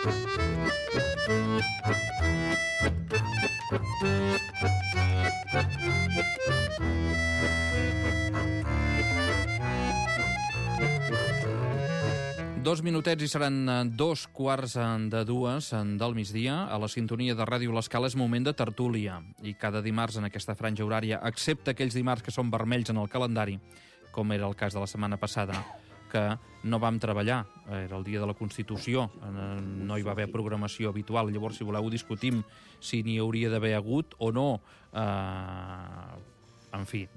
Dos minutets i seran 2:15 del migdia. A la sintonia de Ràdio L'Escala és moment de tertúlia. I cada dimarts en aquesta franja horària, excepte aquells dimarts que són vermells en el calendari, com era el cas de la setmana passada, que no vam treballar, era el dia de la Constitució, no hi va haver programació habitual. Llavors, si voleu, discutim si n'hi hauria d'haver hagut o no. En fi,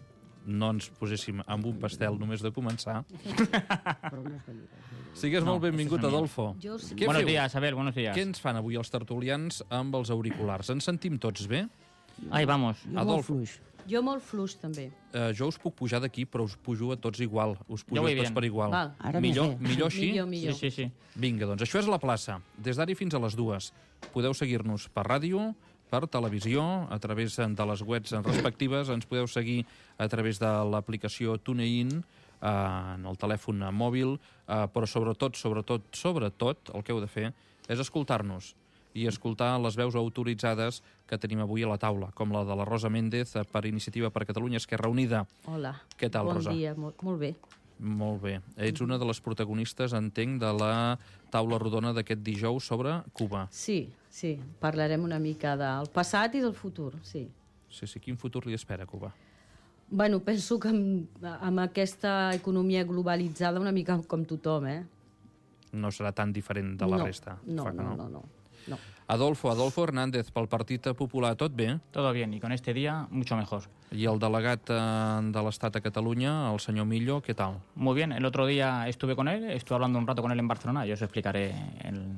no ens poséssim amb un pastel només de començar. Sigues molt benvingut, Adolfo. Buenos días, Abel, buenos días. Què ens fan avui els tertulians amb els auriculars? Ens sentim tots bé? Ahí vamos. Adolfo. Jo molt fluix, també. Jo us puc pujar d'aquí, però us pujo a tots igual. Us pujo voy tots bien. per igual. Val. Millor així? Millor. Sí. Vinga, doncs això és la plaça. Des d'ara fins a les 2. Podeu seguir-nos per ràdio, per televisió, a través de les webs respectives. Ens podeu seguir a través de l'aplicació TuneIn, en el telèfon mòbil, però sobretot, el que heu de fer és escoltar-nos i escoltar les veus autoritzades que tenim avui a la taula, com la de la Rosa Méndez per Iniciativa per Catalunya Esquerra Unida. Hola. Què tal, Rosa? Bon dia, molt bé. Molt bé. Ets una de les protagonistes, entenc, de la taula rodona d'aquest dijous sobre Cuba. Sí. Parlarem una mica del passat i del futur, sí. Sí, quin futur li espera a Cuba? Bueno, penso que amb aquesta economia globalitzada una mica com tothom, No serà tan diferent de la resta. No. Adolfo Hernández, pel Partit Popular, tot bé? Todo bien, y con este día mucho mejor. I el delegat de l'Estat a Catalunya, el senyor Millo, què tal? Muy bien, el otro día estuve con él, estuve hablando un rato con él en Barcelona, yo os explicaré...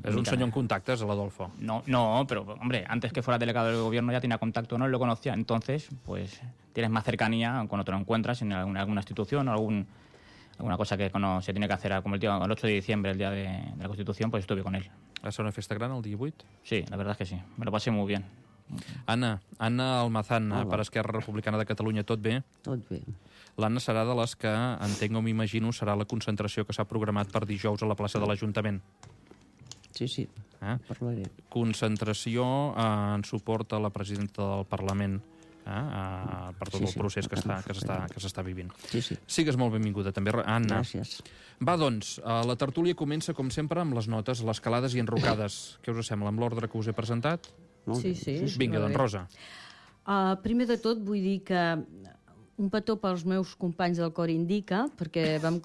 És un senyor en contactes, l'Adolfo. No, pero hombre, antes que fuera delegado del gobierno ya tenía contacto, no lo conocía, entonces pues tienes más cercanía cuando te lo encuentras en alguna institución o alguna cosa que se tiene que hacer, como el 8 de diciembre, el día de la Constitución, pues estuve con él. Va ser una festa gran el dia 8? Sí, la verdad es que sí, me lo pasé muy bien. Anna Almazán, per Esquerra Republicana de Catalunya, tot bé? Tot bé. L'Anna serà de les que, entenc o m'imagino, serà la concentració que s'ha programat per dijous a la plaça de l'Ajuntament. Sí, parlaré. Concentració en suport a la presidenta del Parlament, per tot el procés que s'està vivint. Sí. Sigues molt benvinguda també, Anna. Gràcies. Va, doncs, la tertúlia comença, com sempre, amb les notes, les calades i enrocades. Què us sembla, amb l'ordre que us he presentat? Sí. Vinga, doncs, Rosa. Primer de tot, vull dir que un petó pels meus companys del Cor Indica, perquè vam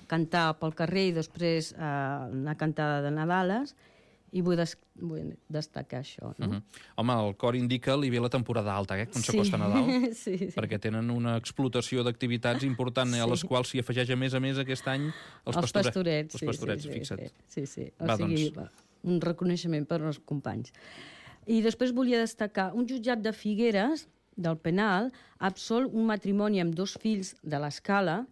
cantar pel carrer i després una cantada de Nadales, i vull destacar això, no? Home, el Cor Indica li ve la temporada alta, quan s'acosta Nadal, sí. perquè tenen una explotació d'activitats important, a les quals s'hi afegeix a més aquest any els pastorets. Els pastorets, fixa't. Sí. O sigui, un reconeixement per als companys. I després volia destacar un jutjat de Figueres, del penal, ha absolt un matrimoni amb 2 fills de l'Escala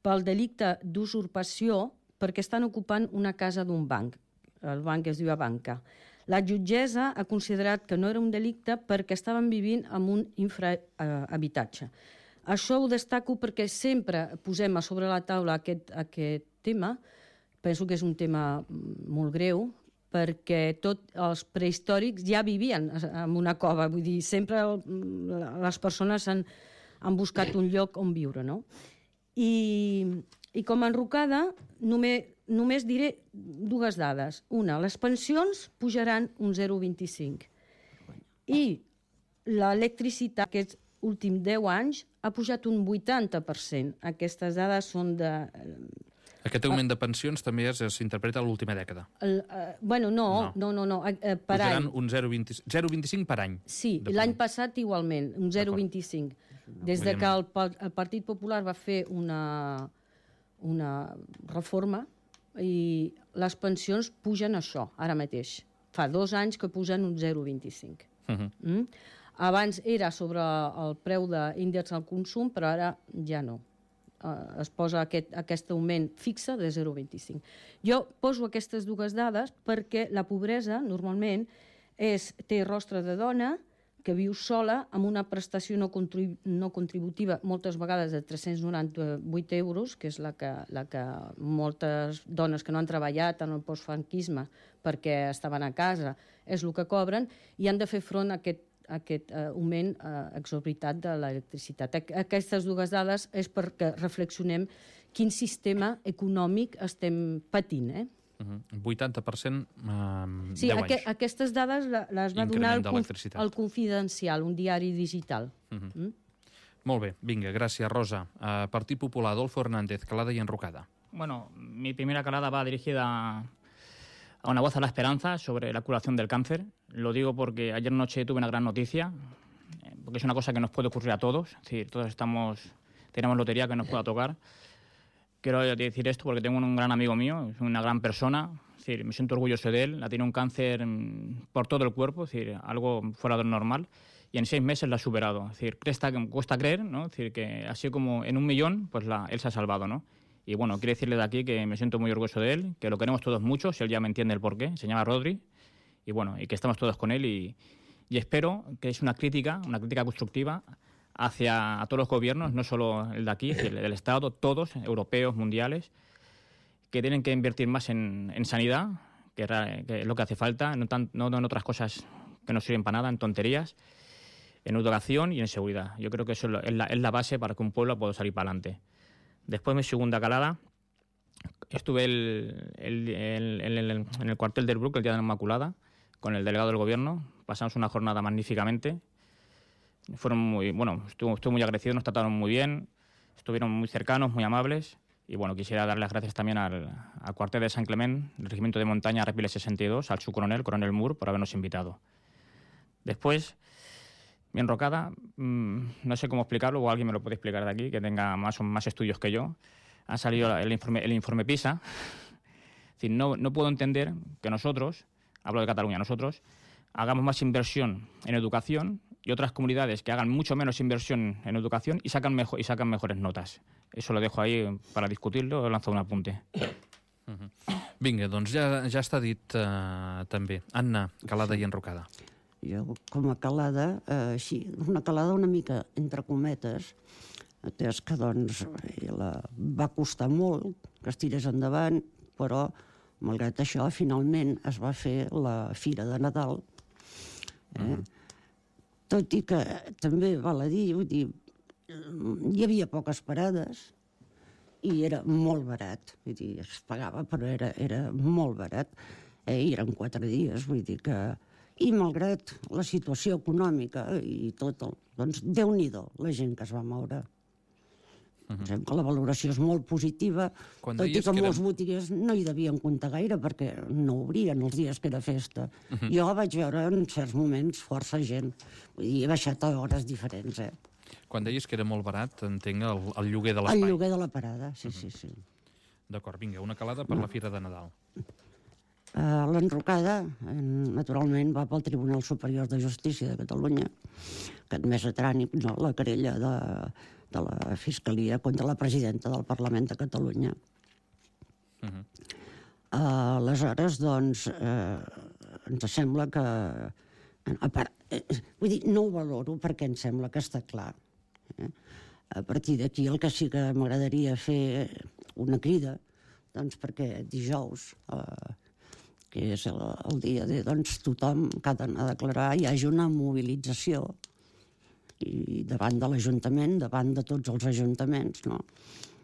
pel delicte d'usurpació perquè estan ocupant una casa d'un banc. El banc es diu Abanca. La jutgessa ha considerat que no era un delicte perquè estaven vivint en un infrahabitatge. Això ho destaco perquè sempre posem a sobre la taula aquest tema. Penso que és un tema molt greu, perquè tots els prehistòrics ja vivien en una cova. Vull dir, sempre les persones han buscat un lloc on viure, no? I com a enrocada, només diré 2 dades. Una, les pensions pujaran un 0,25. I l'electricitat, aquests últims 10 anys, ha pujat un 80%. Aquestes dades són de... Aquest augment de pensions també s'interpreta a l'última dècada. No. Per pujaran any. Un 0,25 per any. Sí, l'any passat igualment, un 0,25. Des de que el Partit Popular va fer una reforma i les pensions pugen això, ara mateix. Fa 2 anys que pugen un 0,25. Abans era sobre el preu d'índex al consum, però ara ja no. Es posa aquest augment fixe de 0,25. Jo poso aquestes 2 dades perquè la pobresa normalment té rostre de dona, que viu sola amb una prestació no contributiva moltes vegades de 398 euros, que és la que moltes dones que no han treballat en el postfranquisme perquè estaven a casa és el que cobren, i han de fer front a aquest augment exorbitat de l'electricitat. Aquestes dues dades és perquè reflexionem quin sistema econòmic estem patint, 80% 10 sí, anys. aquestes dades les va donar el Confidencial, un diari digital. Molt bé, vinga, gràcies, Rosa. Partit Popular, Adolfo Hernández, calada y enrocada. Bueno, mi primera calada va dirigida a una voz a la esperanza sobre la curación del cáncer. Lo digo porque ayer noche tuve una gran noticia, porque es una cosa que nos puede ocurrir a todos. Es decir, todos tenemos lotería que nos pueda tocar. Quiero decir esto porque tengo un gran amigo mío, es una gran persona, es decir, me siento orgulloso de él, ha tenido un cáncer por todo el cuerpo, es decir, algo fuera de lo normal, y en 6 meses lo ha superado. Es decir, cuesta creer, ¿no? Es decir, que así como en 1 millón, pues él se ha salvado, ¿no? Y bueno, quiero decirle de aquí que me siento muy orgulloso de él, que lo queremos todos mucho, si él ya me entiende el porqué, se llama Rodri, y bueno, y que estamos todos con él, y espero que es una crítica constructiva hacia todos los gobiernos, no solo el de aquí, el del Estado, todos, europeos, mundiales, que tienen que invertir más en sanidad, que es lo que hace falta, no en otras cosas que no sirven para nada, en tonterías, en educación y en seguridad. Yo creo que eso es la base para que un pueblo pueda salir para adelante. Después, mi segunda calada, estuve en el cuartel del Bruc el día de la Inmaculada, con el delegado del gobierno, pasamos una jornada magníficamente. Estuve muy agradecido, nos trataron muy bien, estuvieron muy cercanos, muy amables, y bueno, quisiera dar las gracias también al cuartel de San Clement, del Regimiento de Montaña Arrapiles 62, al subcoronel, coronel Moore, por habernos invitado. Después, mi enrocada, no sé cómo explicarlo, o alguien me lo puede explicar de aquí, que tenga más estudios que yo. Ha salido el informe PISA. Es decir, no puedo entender que nosotros, hablo de Cataluña, nosotros, hagamos más inversión en educación y otras comunidades que hagan mucho menos inversión en educación y sacan mejores notas. Eso lo dejo ahí para discutirlo, he lanzado un apunte. Vinga, doncs ja està dit també. Anna, calada i enrocada. Jo, com a calada, així, una calada una mica entre cometes, atès que doncs va costar molt que es tirés endavant, però malgrat això finalment es va fer la Fira de Nadal. Tot i que també val a dir, hi havia poques parades i era molt barat, vull dir, es pagava però era molt barat, i eren 4 dies, vull dir que... I malgrat la situació econòmica i tot, doncs Déu-n'hi-do la gent que es va moure. Pensem que la valoració és molt positiva, tot i que molts botiguers no hi devien comptar gaire perquè no obrien els dies que era festa. Jo vaig veure en certs moments força gent, vull dir, he baixat a hores diferents. Quan deies que era molt barat, entenc el lloguer de l'espai. El lloguer de la parada, sí. D'acord, vinga, una calada per la Fira de Nadal. L'enrocada, naturalment, va pel Tribunal Superior de Justícia de Catalunya, que ha admès a tràmit la querella de la Fiscalia contra la presidenta del Parlament de Catalunya. Aleshores, doncs, ens sembla que... Vull dir, no ho valoro perquè em sembla que està clar. A partir d'aquí el que sí que m'agradaria fer una crida, doncs perquè dijous, que és el dia de tothom que ha d'anar a declarar, hi hagi una mobilització i davant de l'Ajuntament, davant de tots els ajuntaments, no?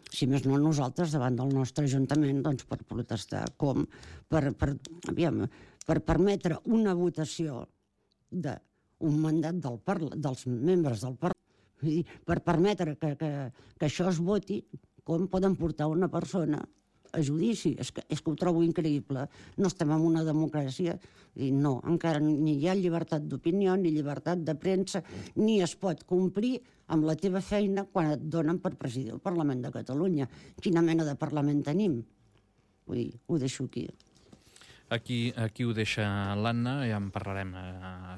Si més no nosaltres, davant del nostre Ajuntament, doncs per protestar, com per permetre una votació d'un mandat dels membres del Parlament, per permetre que això es voti, com poden portar una persona a judici. És que ho trobo increïble. No estem en una democràcia. No, encara ni hi ha llibertat d'opinió, ni llibertat de premsa, ni es pot complir amb la teva feina quan et donen per presidir el Parlament de Catalunya. Quina mena de Parlament tenim? Vull dir, ho deixo aquí. Aquí ho deixa l'Anna, ja en parlarem,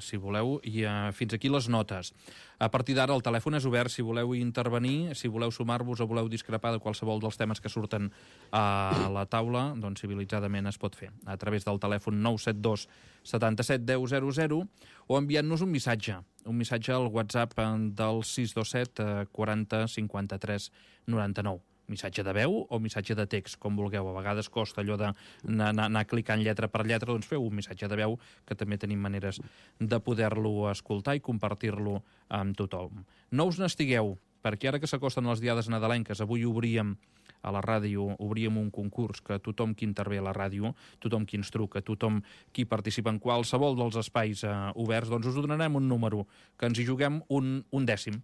si voleu, i fins aquí les notes. A partir d'ara el telèfon és obert si voleu intervenir, si voleu sumar-vos o voleu discrepar de qualsevol dels temes que surten a la taula, doncs civilitzadament es pot fer a través del telèfon 972 77 10 00 o enviant-nos un missatge un missatge al WhatsApp del 627 40 53 99. Missatge de veu o missatge de text, com vulgueu. A vegades costa allò d'anar clicant lletra per lletra, doncs feu un missatge de veu, que també tenim maneres de poder-lo escoltar i compartir-lo amb tothom. No us n'estigueu, perquè ara que s'acosten les diades nadalenques, avui obríem a la ràdio, obríem un concurs que tothom qui intervé a la ràdio, tothom qui ens truca, tothom qui participa en qualsevol dels espais oberts, doncs us donarem un número, que ens hi juguem un dècim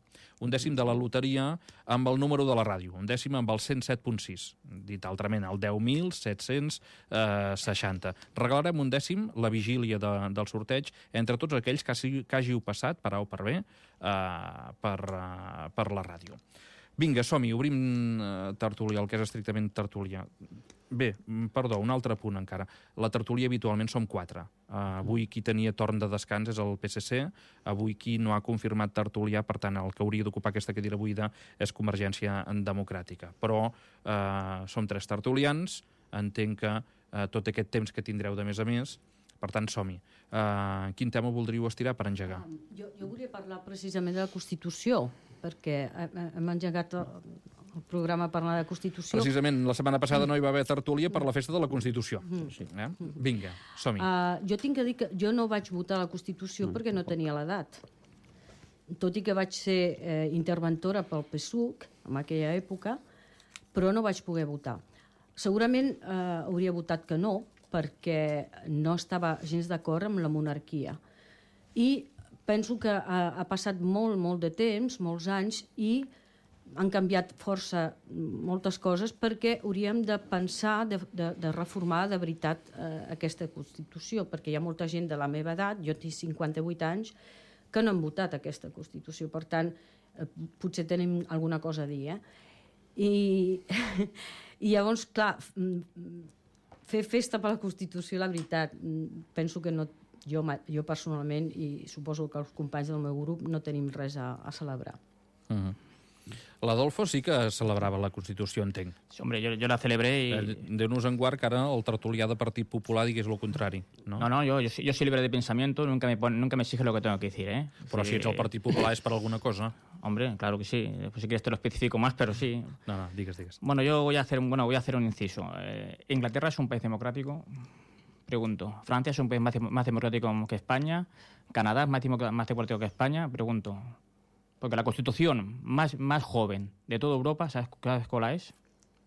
de la loteria amb el número de la ràdio, un dècim amb el 107.6, dit altrament, el 10.760. Regalarem un dècim la vigília del sorteig entre tots aquells que hàgiu passat, per A o per B, per la ràdio. Vinga, som-hi, obrim tertúlia, el que és estrictament tertúlia. Bé, perdó, un altre punt encara. La tertúlia habitualment som 4. Avui qui tenia torn de descans és el PSC, avui qui no ha confirmat tertulià, per tant, el que hauria d'ocupar aquesta cadira buida és Convergència Democràtica. Però som 3 tertulians, entenc que tot aquest temps que tindreu de més a més, per tant, som-hi. Quin tema voldríeu estirar per engegar? Jo volia parlar precisament de la Constitució, perquè hem engegat el programa parlant de Constitució. Precisament, la setmana passada no hi va haver tertúlia per la festa de la Constitució. Vinga, som-hi. Jo tinc que dir que jo no vaig votar la Constitució perquè no tenia l'edat. Tot i que vaig ser interventora pel PSUC en aquella època, però no vaig poder votar. Segurament hauria votat que no, perquè no estava gens d'acord amb la monarquia. I penso que ha passat molt de temps, molts anys, i han canviat força moltes coses perquè hauríem de pensar de reformar de veritat aquesta Constitució, perquè hi ha molta gent de la meva edat, jo tinc 58 anys, que no han votat aquesta Constitució. Per tant, potser tenim alguna cosa a dir. I llavors, clar, fer festa per la Constitució, la veritat, penso que no, jo personalment, i suposo que els companys del meu grup, no tenim res a celebrar. L'Adolfo sí que celebrava la Constitució, entenc. Sí, hombre, yo la celebré y... Déu-nos en guard que ara el tertulià de Partit Popular digués el contrari. No, yo soy libre de pensamiento, nunca me exige lo que tengo que decir, ¿eh? Però si ets el Partit Popular és per alguna cosa. Hombre, claro que sí. Pues si quieres te lo especifico más, pero sí. No, digues. Bueno, yo voy a hacer un inciso. Inglaterra es un país democrático. Pregunto. ¿Francia es un país más democrático que España? ¿Canadá es más democrático que España? Pregunto. Porque la Constitución más joven de toda Europa, ¿sabes cuál es?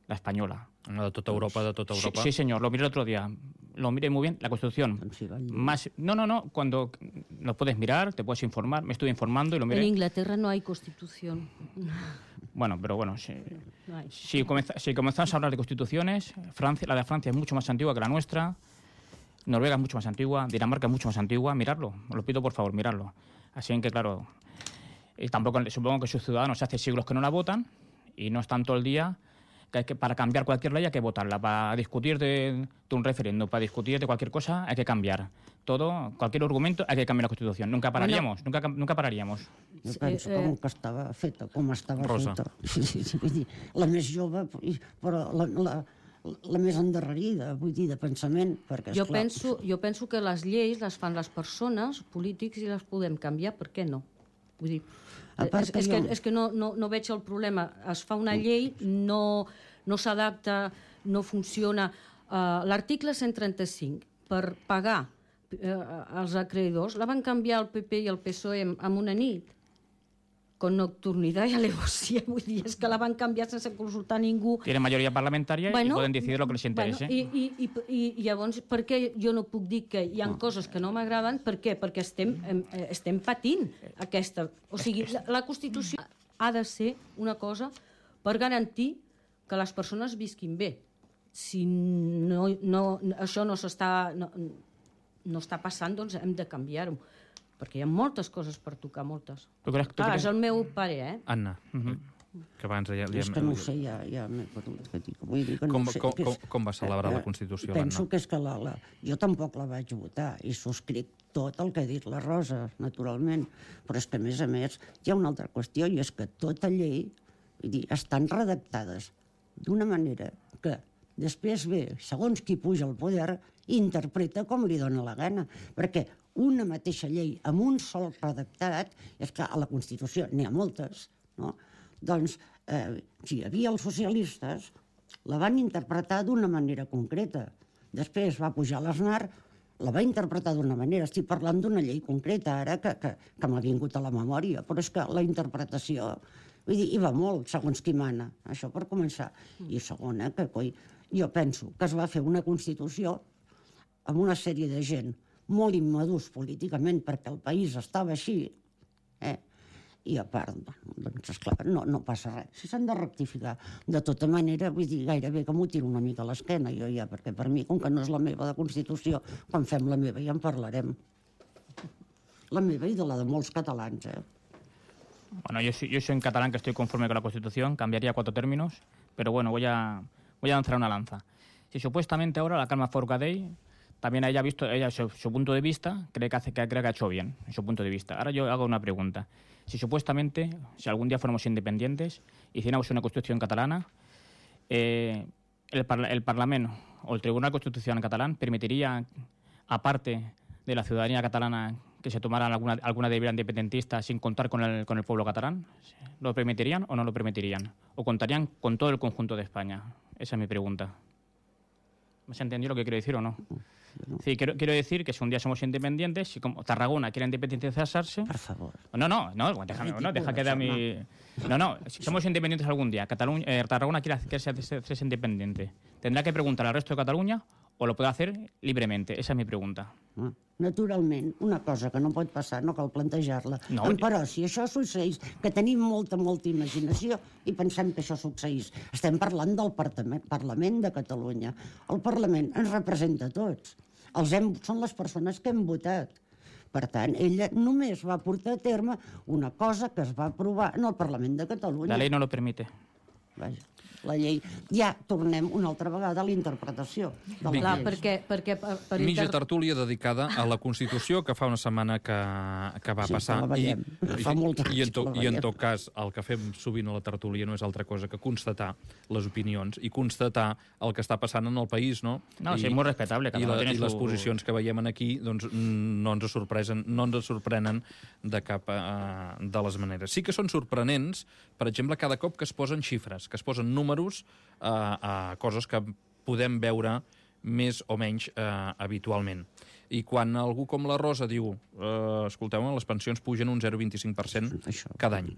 La española. De tota Europa. Sí, señor. Lo miré el otro día. Lo miré muy bien. La Constitución más... No. Cuando lo puedes mirar, te puedes informar. Me estuve informando y lo miré. En Inglaterra no hay Constitución. Bueno, pero bueno, si comenzamos a hablar de constituciones, la de Francia es mucho más antigua que la nuestra. Noruega es mucho más antigua, Dinamarca es mucho más antigua, miradlo, os lo pido por favor, miradlo. Así que claro, y tampoco supongo que sus ciudadanos hace siglos que no la votan y no están todo el día que para cambiar cualquier ley hay que votarla, para discutir de un referéndum, para discutir de cualquier cosa hay que cambiar. Cualquier argumento hay que cambiar la Constitución. Nunca pararíamos, nunca pararíamos. Jo penso que estava feta, com estava Rosa. feta. Sí, vull dir, la més jove, però la més endarrerida, vull dir, de pensament, perquè, esclar... Jo penso que les lleis les fan les persones, polítics, i les podem canviar, per què no? Vull dir, és que no veig el problema. Es fa una llei, no s'adapta, no funciona. L'article 135, per pagar els acreedors, la van canviar el PP i el PSOE en una nit, con nocturnidad y alevosía, vull dir, és que la van canviar sense consultar ningú. Tienen mayoría parlamentaria y pueden decidir lo que les interese. I llavors, per què jo no puc dir que hi ha coses que no m'agraden? Per què? Perquè estem patint aquesta... O sigui, la Constitució ha de ser una cosa per garantir que les persones visquin bé. Si això no està passant, doncs hem de canviar-ho. Perquè hi ha moltes coses per tocar, moltes. És el meu parer, eh? Anna, que abans ja... És que no ho sé, ja m'he perdut. Vull dir que no sé. Com va celebrar la Constitució, l'Anna? Penso que és que jo tampoc la vaig votar i subscric tot el que ha dit la Rosa, naturalment. Però és que, a més, hi ha una altra qüestió, i és que tota llei, vull dir, estan redactades d'una manera que Després ve, segons qui puja al poder, interpreta com li dona la gana, perquè una mateixa llei amb un sol redactat, és que a la Constitució n'hi ha moltes, no? Doncs, si hi havia els socialistes, la van interpretar d'una manera concreta. Després va pujar l'Aznar, la va interpretar d'una manera. Estic parlant d'una llei concreta ara que m'ha vingut a la memòria, però és que la interpretació, vull dir, hi va molt, segons qui mana, això per començar. I segona, que jo penso que es va fer una Constitució amb una sèrie de gent molt immadurs políticament perquè el país estava així, i a part, doncs, esclar, no passa res. Si s'han de rectificar. De tota manera, vull dir, gairebé que m'ho tiro una mica a l'esquena, jo ja, perquè per mi, com que no és la meva de Constitució, quan fem la meva ja en parlarem. La meva i de la de molts catalans, Bueno, yo soy en catalán que estoy conforme con la Constitución, cambiaría 4 términos, pero bueno, voy a lanzar una lanza. Si supuestamente ahora la Carme Forcadell también ella ha visto su punto de vista, cree que ha hecho bien, en su punto de vista. Ahora yo hago una pregunta. Si supuestamente, si algún día fuéramos independientes, hiciéramos una Constitución catalana, el Parlamento o el Tribunal Constitucional catalán permitiría, aparte de la ciudadanía catalana, que se tomaran alguna deriva independentista sin contar con el pueblo catalán? ¿Lo permitirían o no lo permitirían? ¿O contarían con todo el conjunto de España? Esa es mi pregunta. ¿Me has entendido lo que quiero decir o no? Sí, quiero decir que si un día somos independientes, si como Tarragona quiere independizarse... Por favor. Deja que dé mi... No, si somos independientes algún día, Tarragona quiere ser independiente, ¿tendrá que preguntar al resto de Cataluña o lo puede hacer libremente? Esa es mi pregunta. Naturalment, una cosa que no pot passar, no cal plantejar-la. No, però si això succeís, que tenim molta imaginació i pensem que això succeís, estem parlant del Parlament de Catalunya. El Parlament ens representa a tots. Són les persones que hem votat. Per tant, ella només va portar a terme una cosa que es va aprovar en el Parlament de Catalunya. La ley no lo permite. Vaja, la llei. Ja tornem una altra vegada a la interpretació de la Clar, llei. perquè Mitja tertúlia dedicada a la Constitució, que fa una setmana que va passar. La veiem. Fa molts anys que la I en veiem. tot cas, el que fem sovint a la tertúlia no és altra cosa que constatar les opinions i constatar el que està passant en el país, no? No, sí, és molt respectable. I les posicions que veiem aquí doncs, no ens sorprenen de cap de les maneres. Sí que són sorprenents, per exemple, cada cop que es posen xifres, que es posen números a coses que podem veure més o menys habitualment. I quan algú com la Rosa diu escolteu, les pensions pugen un 0,25% cada any.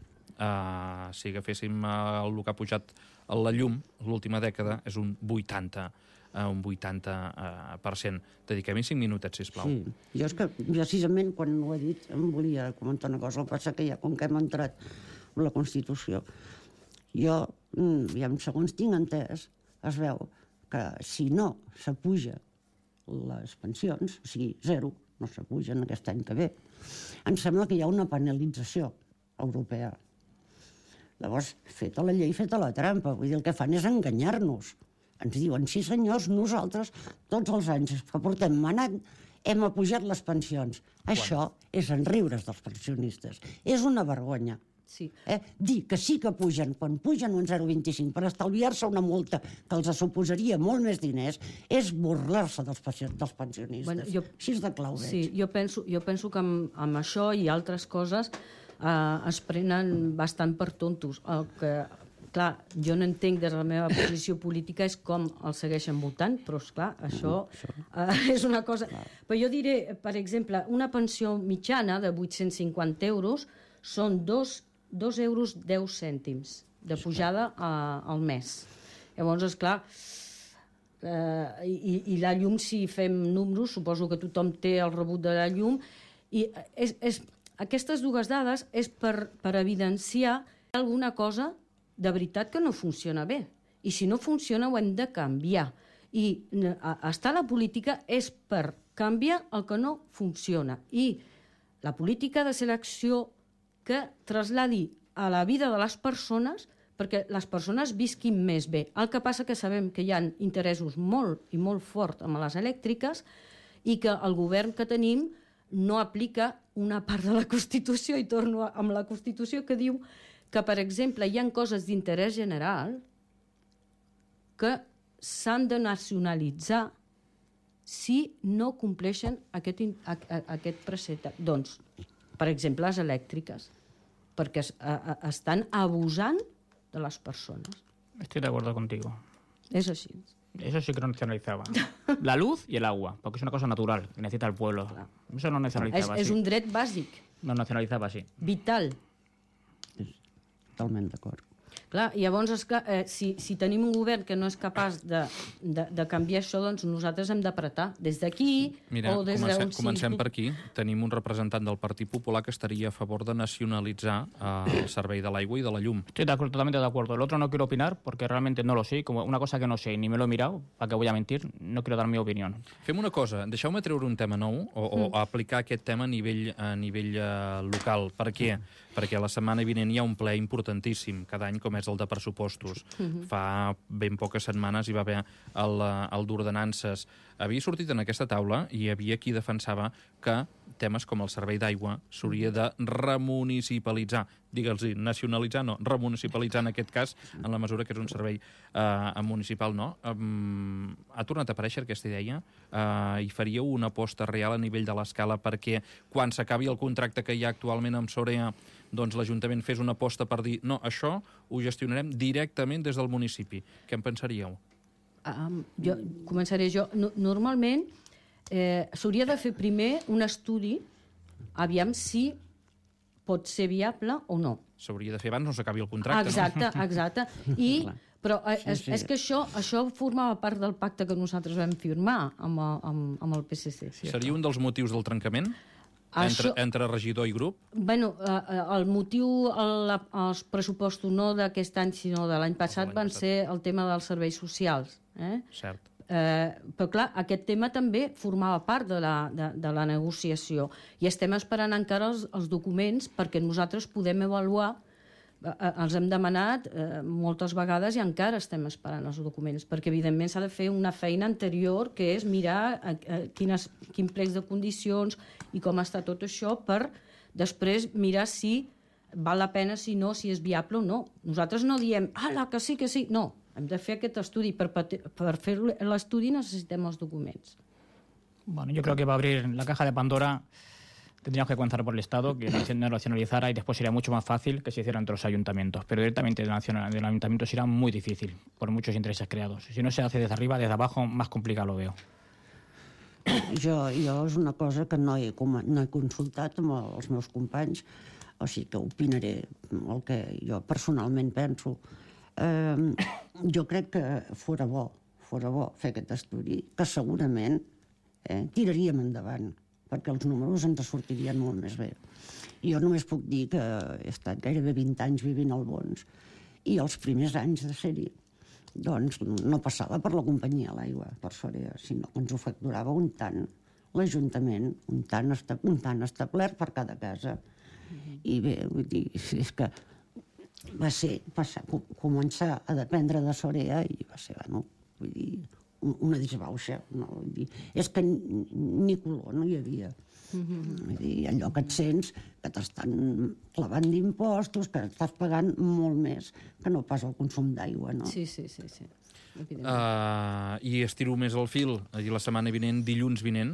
Si agaféssim el que ha pujat la llum l'última dècada és un 80%. Dediquem-hi 5 minutets, sisplau. Sí, jo és que precisament quan ho he dit em volia comentar una cosa, el que passa que ja com que hem entrat en la Constitució, jo, segons tinc entès, es veu que si no s'apuja les pensions, o sigui, 0, no s'apugen aquest any que ve, em sembla que hi ha una penalització europea. Llavors, feta la llei, feta la trampa. Vull dir, el que fan és enganyar-nos. Ens diuen, sí senyors, nosaltres tots els anys que portem manant hem apujat les pensions. Això és enriure's dels pensionistes. És una vergonya. Sí. Dir que sí que pugen, quan pugen un 0,25 per estalviar-se una multa que els suposaria molt més diners, és burlar-se dels pensionistes. Bueno, així és de clau veig. Sí, jo penso que amb això i altres coses es prenen bastant per tontos. El que, clar, jo no entenc des de la meva posició política és com els segueixen votant, però, esclar, això és una cosa... Però jo diré, per exemple, una pensió mitjana de 850 euros són 2,10 euros de pujada al mes. Llavors, esclar, i la llum, si fem números, suposo que tothom té el rebut de la llum, i aquestes dues dades és per evidenciar alguna cosa de veritat que no funciona bé. I si no funciona ho hem de canviar. I estar a la política és per canviar el que no funciona. I la política ha de ser l'acció que trasladi a la vida de les persones perquè les persones visquin més bé. El que passa que sabem que hi ha interessos molt i molt forts amb les elèctriques i que el govern que tenim no aplica una part de la Constitució, i torno amb la Constitució, que diu que, per exemple, hi ha coses d'interès general que s'han de nacionalitzar si no compleixen aquest precepte. Doncs, per exemple, les elèctriques, perquè estan abusant de les persones. Estoy de acuerdo contigo. És així. Eso sí que no nacionalizaba. La luz y el agua, porque es una cosa natural que necesita el pueblo. Eso no nacionalizaba És así. un dret bàsic, No nacionalizaba así. vital. Totalment d'acord. Clar, llavors, esclar, si tenim un govern que no és capaç de canviar això, doncs nosaltres hem d'apretar des d'aquí Mira, o des d'on comencem per aquí. Tenim un representant del Partit Popular que estaria a favor de nacionalitzar el servei de l'aigua i de la llum. Estoy totalmente de acuerdo. El otro no quiero opinar porque realmente no lo sé. Como una cosa que no sé ni me lo he mirado, ¿para qué voy a mentir? No quiero dar mi opinión. Fem una cosa, deixeu-me treure un tema nou o aplicar aquest tema a nivell local. Per què? Perquè la setmana vinent hi ha un ple importantíssim cada any, com és el de pressupostos. Fa ben poques setmanes hi va haver el d'ordenances. Havia sortit en aquesta taula i hi havia qui defensava que temes com el servei d'aigua s'hauria de remunicipalitzar. Digue'ls-hi, nacionalitzar no, remunicipalitzar en aquest cas, en la mesura que és un servei municipal, no? Ha tornat a aparèixer aquesta idea? I faríeu una aposta real a nivell de l'escala perquè quan s'acabi el contracte que hi ha actualment amb Sorea, doncs l'Ajuntament fes una aposta per dir no, això ho gestionarem directament des del municipi. Què en pensaríeu? Començaré jo. Normalment s'hauria de fer primer un estudi, aviam si pot ser viable o no. S'hauria de fer abans no s'acabi el contracte, no? Exacte. Però és que això formava part del pacte que nosaltres vam firmar amb el PSC. Seria un dels motius del trencament? Entre regidor i grup? Bueno, el motiu, els pressupostos no d'aquest any, sinó de l'any passat, van ser el tema dels serveis socials. Cert. Però, clar, aquest tema també formava part de la negociació i estem esperant encara els documents perquè nosaltres podem avaluar. Els hem demanat moltes vegades i encara estem esperant els documents, perquè evidentment s'ha de fer una feina anterior, que és mirar quin plecs de condicions i com està tot això, per després mirar si val la pena, si no, si és viable o no. Nosaltres no diem, que sí, que sí. No, hem de fer aquest estudi. Per fer l'estudi necessitem els documents. Bueno, yo creo que va a abrir la caja de Pandora. Tendríamos que comenzar por el Estado, que no nacionalizara, y después sería mucho más fácil que se hiciera entre los ayuntamientos. Pero directamente del ayuntamiento será muy difícil, por muchos intereses creados. Si no se hace desde arriba, desde abajo, más complicado lo veo. Jo és una cosa que no he consultat amb els meus companys, o sigui que opinaré el que jo personalment penso. Jo crec que fora bo fer aquest estudi, que segurament tiraríem endavant, perquè els números ens sortirien molt més bé. Jo només puc dir que he estat gairebé 20 anys vivint al Bons i els primers anys de ser-hi doncs no passava per la companyia l'aigua, per Sorea, sinó que ens ho facturava un tant l'Ajuntament, un tant establert per cada casa. I bé, vull dir, és que va ser començar a dependre de Sorea i va ser, bueno, vull dir, una disbauxa. No? Vull dir, és que ni color no hi havia. Vull dir, allò que et sents que t'estan clavant d'impostos, que estàs pagant molt més que no pas el consum d'aigua. No? Sí. I estiro més el fil. La setmana vinent, dilluns vinent,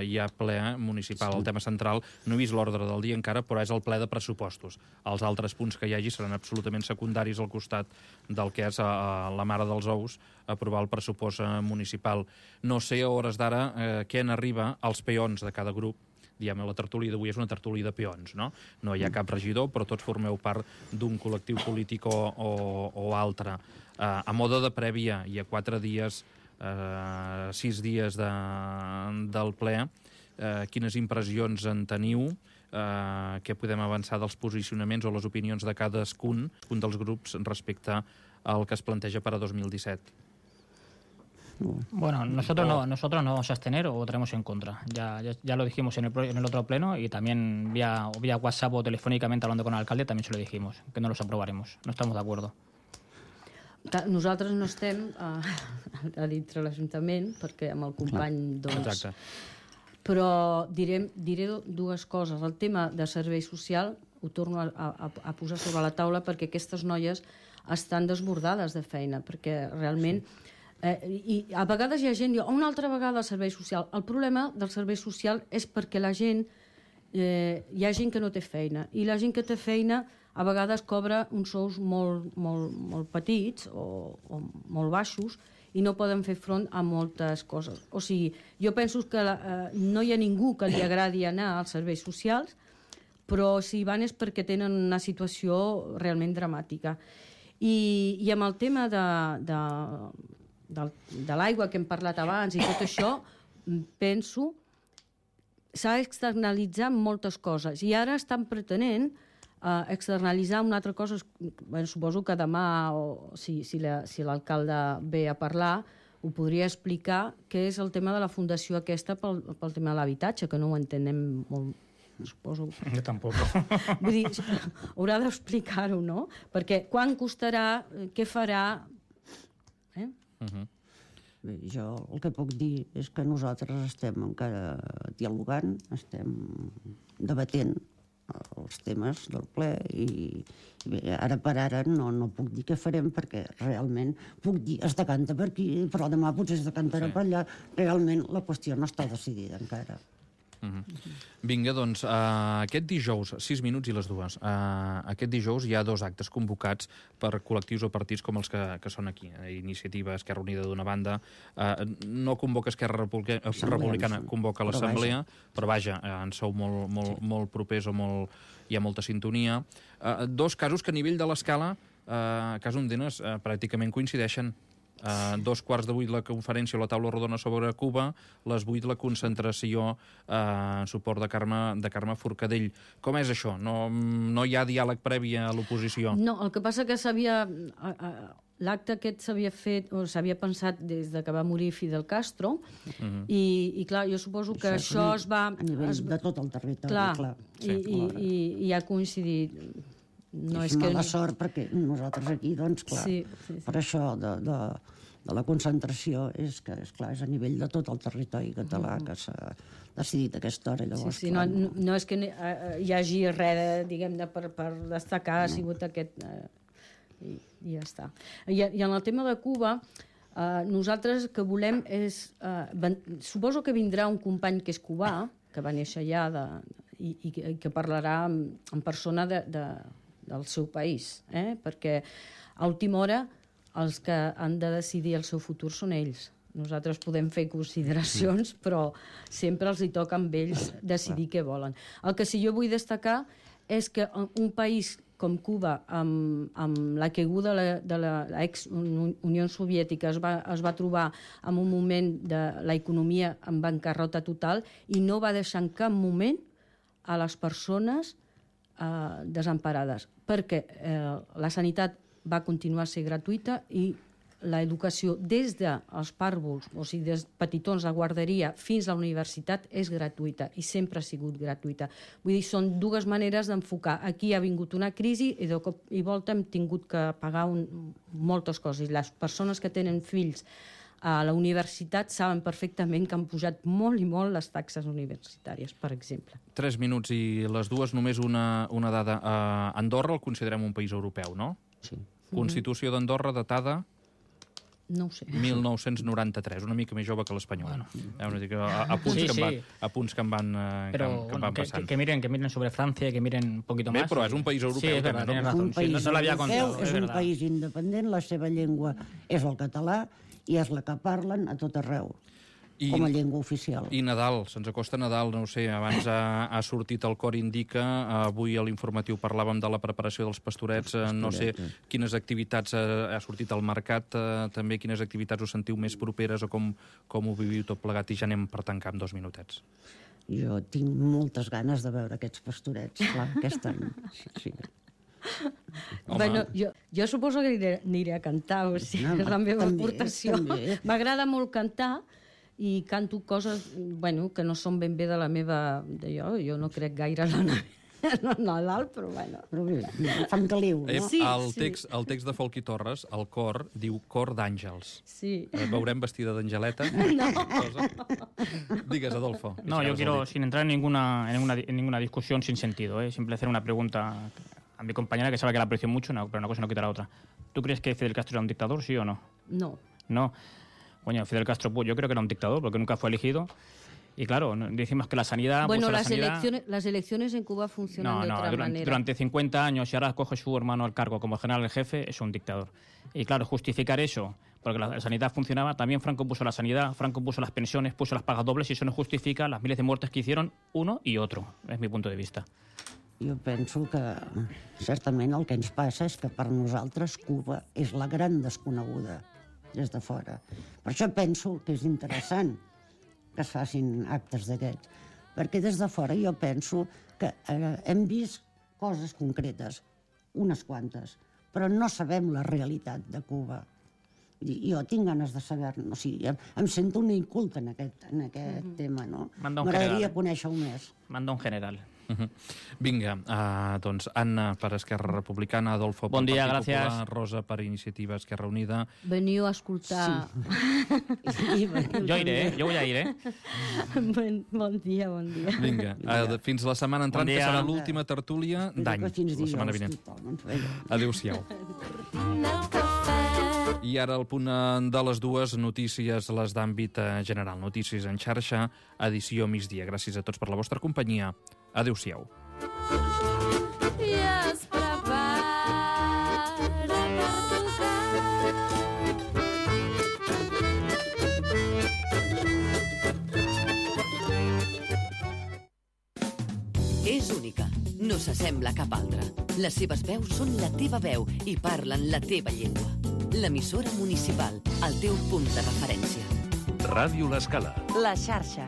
hi ha ple municipal. El tema central, no he vist l'ordre del dia encara, però és el ple de pressupostos. Els altres punts que hi hagi seran absolutament secundaris al costat del que és la mare dels ous, aprovar el pressupost municipal. No sé a hores d'ara què n'arriba als peons de cada grup. Diguem, la tertúlia d'avui és una tertúlia de peons, no? No hi ha cap regidor, però tots formeu part d'un col·lectiu polític o altre. A mode de prèvia, hi ha 4 dies, 6 dies del ple. Quines impressions en teniu? Què podem avançar dels posicionaments o les opinions de cadascun dels grups respecte al que es planteja per a 2017? Bueno, nosotros no vamos a abstener o votaremos en contra. Ya lo dijimos en el otro pleno y también vía WhatsApp o telefònicament hablando con el alcalde también se lo dijimos, que no los aprobaremos. No estamos de acuerdo. Nosaltres no estem a dintre l'Ajuntament, perquè amb el company, doncs... Exacte. Però diré dues coses. El tema de servei social ho torno a posar sobre la taula perquè aquestes noies estan desbordades de feina, perquè realment I a vegades hi ha gent que diu, una altra vegada el servei social. El problema del servei social és perquè la gent, hi ha gent que no té feina, i la gent que té feina a vegades cobra uns sous molt petits o molt baixos i no poden fer front a moltes coses. O sigui, jo penso que no hi ha ningú que li agradi anar als serveis socials, però si van és perquè tenen una situació realment dramàtica. I amb el tema de l'aigua que hem parlat abans i tot això, penso s'ha d'externalitzar moltes coses. I ara estan pretenent externalitzar una altra cosa. Suposo que demà, si l'alcalde ve a parlar, ho podria explicar, que és el tema de la fundació aquesta pel tema de l'habitatge, que no ho entenem molt, suposo. Jo tampoc. Vull dir, haurà d'explicar-ho, no? Perquè quan costarà, què farà... Bé, jo el que puc dir és que nosaltres estem encara dialogant, estem debatent els temes del ple i bé, ara per ara no puc dir què farem perquè realment puc dir es decanta per aquí, però demà potser es decantarà per allà. Realment la qüestió no està decidida encara. Vinga, doncs, aquest dijous, 6 minuts i les 2, aquest dijous hi ha 2 actes convocats per col·lectius o partits com els que són aquí. Iniciativa Esquerra Unida d'una banda, no convoca Esquerra Republicana, convoca l'Assemblea, però vaja, en sou molt propers o hi ha molta sintonia. 2 casos que a nivell de l'escala, a Casa Ondenes, pràcticament coincideixen. 2:15 la conferència o la taula rodona sobre Cuba, les 8 la concentració en suport de Carme Forcadell. Com és això? No hi ha diàleg previ a l'oposició? No, el que passa que l'acte aquest s'havia fet, o s'havia pensat des de que va morir Fidel Castro, i clar, jo suposo que això es va... A nivell de tot el territori, clar. I ha coincidit. És mala sort perquè nosaltres aquí, doncs, clar, per això de la concentració és que, esclar, és a nivell de tot el territori català que s'ha decidit a aquesta hora. Llavors, no és que hi hagi res, diguem-ne, per destacar, ha sigut aquest... I ja està. I en el tema de Cuba, nosaltres que volem és... Suposo que vindrà un company que és cubà, que va néixer allà, i que parlarà en persona del seu país, perquè a última hora els que han de decidir el seu futur són ells. Nosaltres podem fer consideracions, però sempre els hi toca amb ells decidir què volen. El que sí jo vull destacar és que un país com Cuba, amb la caiguda de l'ex-Unió Soviètica, es va trobar en un moment de l'economia en bancarrota total i no va deixar en cap moment a les persones desemparades, perquè la sanitat va continuar a ser gratuïta i l'educació des dels pàrvuls, o sigui, des petitons a guarderia fins a la universitat és gratuïta i sempre ha sigut gratuïta. Vull dir, són 2 maneres d'enfocar. Aquí ha vingut una crisi i de cop i volta hem tingut que pagar moltes coses. Les persones que tenen fills a la universitat saben perfectament que han pujat molt i molt les taxes universitàries, per exemple. 3 minuts i les 2, només una dada. Andorra el considerem un país europeu, no? Sí. Constitució d'Andorra datada... No ho sé. 1993, una mica més jove que l'espanyola. Apunts que em van passant. Que miren sobre Francia, que miren un poquito más. Bé, però és un país europeu. Sí, és verdad, tienes razón. No l'havia contado. És un país independent, la seva llengua és el català i és la que parlen a tot arreu, com a llengua oficial. I Nadal, se'ns acosta Nadal, no ho sé, abans ha sortit el Cor Indica, avui a l'informatiu parlàvem de la preparació dels pastorets, no sé quines activitats ha sortit al mercat, també quines activitats us sentiu més properes o com ho viviu tot plegat, i ja anem per tancar en 2 minutets. Jo tinc moltes ganes de veure aquests pastorets, clar, aquest any. Sí. Bueno, jo suposo que aniré a cantar, o sigui, és la meva aportació. M'agrada molt cantar i canto coses que no són ben bé de la meva... Jo no crec gaire en Nadal, però bueno. Però bé, fan caliu, no? El text de Folchi Torres, el cor, diu Cor d'Àngels. Sí. Veurem vestida d'angeleta? No. Digues, Adolfo. No, yo quiero, sin entrar en ninguna discusión sin sentido, simple hacer una pregunta a mi compañera, que sabe que la aprecio mucho, pero una cosa no quita la otra. ¿Tú crees que Fidel Castro era un dictador, sí o no? No. No. Coño, Fidel Castro, pues yo creo que era un dictador porque nunca fue elegido. Y claro, decimos que la sanidad... Bueno, pues, las elecciones en Cuba funcionan de otra manera. Durante 50 años, y ahora coge su hermano al cargo como general en jefe, es un dictador. Y claro, justificar eso, porque la sanidad funcionaba, también Franco puso la sanidad, Franco puso las pensiones, puso las pagas dobles, y eso no justifica las miles de muertes que hicieron uno i otro, és mi punt de vista. Jo penso que certament el que ens passa és que per nosaltres Cuba és la gran desconeguda des de fora. Per això penso que és interessant que es facin actes d'aquests, perquè des de fora jo penso que hem vist coses concretes, unes quantes, però no sabem la realitat de Cuba. Jo tinc ganes de saber-ne, o sigui, em sento una inculta en aquest tema, no? M'agradaria conèixer-ho més. Manda un general. Vinga, doncs Anna per Esquerra Republicana, Adolfo per Partit Popular, Rosa per Iniciativa Esquerra Unida. Veniu a escoltar. Sí. Jo iré, jo vull ir, Bon dia, bon dia. Vinga, fins la setmana entrant, que serà l'última tertúlia d'any, la setmana vinent. Adéu-siau. I ara al punt de les 2, notícies les d'àmbit general. Notícies en xarxa, edició migdia. Gràcies a tots per la vostra companyia. Adéu-siau. És única, no s'assembla a cap altra. Les seves veus són la teva veu i parlen la teva llengua. L'emissora municipal, el teu punt de referència. Ràdio L'Escala. La xarxa.